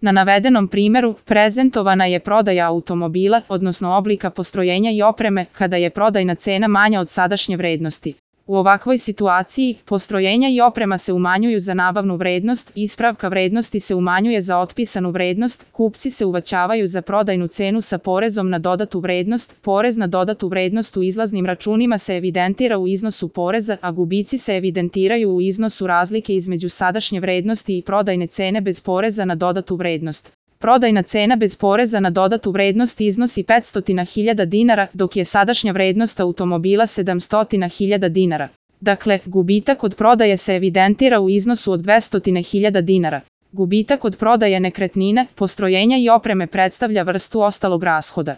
Na navedenom primjeru prezentovana je prodaja automobila, odnosno oblika postrojenja i opreme, kada je prodajna cena manja od sadašnje vrednosti. U ovakvoj situaciji, postrojenja i oprema se umanjuju za nabavnu vrednost, ispravka vrednosti se umanjuje za otpisanu vrednost, kupci se uvećavaju za prodajnu cenu sa porezom na dodatu vrednost, porez na dodatu vrednost u izlaznim računima se evidentira u iznosu poreza, a gubici se evidentiraju u iznosu razlike između sadašnje vrednosti i prodajne cene bez poreza na dodatu vrednost. Prodajna cena bez poreza na dodatu vrednost iznosi 500.000 dinara, dok je sadašnja vrednost automobila 700.000 dinara. Dakle, gubitak od prodaje se evidentira u iznosu od 200.000 dinara. Gubitak od prodaje nekretnine, postrojenja i opreme predstavlja vrstu ostalog rashoda.